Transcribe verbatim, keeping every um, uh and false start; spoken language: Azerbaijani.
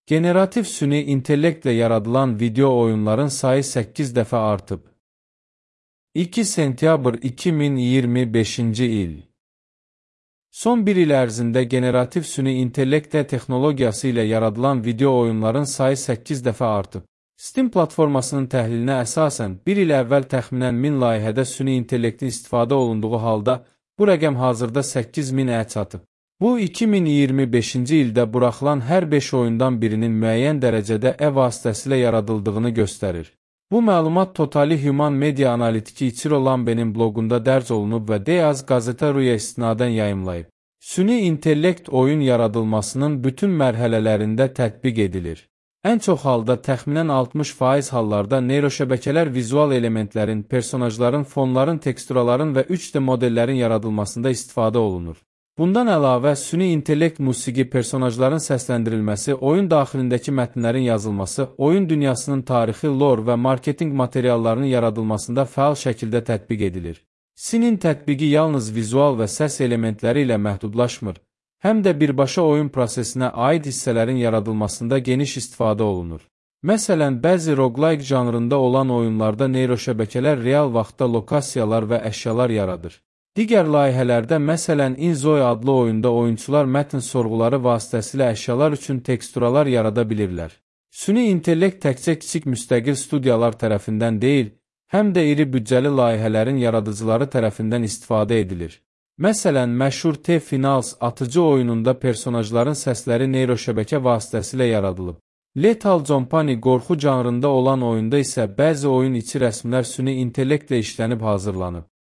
Generativ süni intellektlə yaradılan video oyunların sayı səkkiz dəfə artıb. iki sentyabr iki min iyirmi beşinci il. Son bir il ərzində generativ süni intellekt texnologiyası ilə yaradılan video oyunların sayı səkkiz dəfə artıb. Steam platformasının təhlilinə əsasən bir il əvvəl təxminən min layihədə süni intellektin istifadə olunduğu halda bu rəqəm hazırda səkkiz minə çatıb. Bu, iki min iyirmi beşinci ildə buraxılan hər beş oyundan birinin müəyyən dərəcədə e vasitəsilə yaradıldığını göstərir. Bu məlumat Totally Human Media analitiki İçiro Lambe'nin bloqunda dərc olunub və Deyaz Gazeta.ru-ya istinadən yayımlayıb. Süni intellekt oyun yaradılmasının bütün mərhələlərində tətbiq edilir. Ən çox halda təxminən altmış faiz hallarda neyroşəbəkələr vizual elementlərin, personajların, fonların, teksturaların və üç D modellərin yaradılmasında istifadə olunur. Bundan əlavə, süni intellekt musiqi, personajların səsləndirilməsi, oyun daxilindəki mətnlərin yazılması, oyun dünyasının tarixi, lore və marketinq materiallarının yaradılmasında fəal şəkildə tətbiq edilir. Sinin tətbiqi yalnız vizual və səs elementləri ilə məhdudlaşmır, həm də birbaşa oyun prosesinə aid hissələrin yaradılmasında geniş istifadə olunur. Məsələn, bəzi roguelike janrında olan oyunlarda neyroşəbəkələr real vaxtda lokasiyalar və əşyalar yaradır. Digər layihələrdə, məsələn, InZoe adlı oyunda oyunçular mətn sorğuları vasitəsilə əşyalar üçün teksturalar yarada bilirlər. Süni intellekt təkcə kiçik müstəqil studiyalar tərəfindən deyil, həm də iri büdcəli layihələrin yaradıcıları tərəfindən istifadə edilir. Məsələn, məşhur T-Finals atıcı oyununda personajların səsləri neyroşəbəkə vasitəsilə yaradılıb. Lethal Company qorxu janrında olan oyunda isə bəzi oyun içi rəsmlər süni intellektlə işlənib hazırlanıb.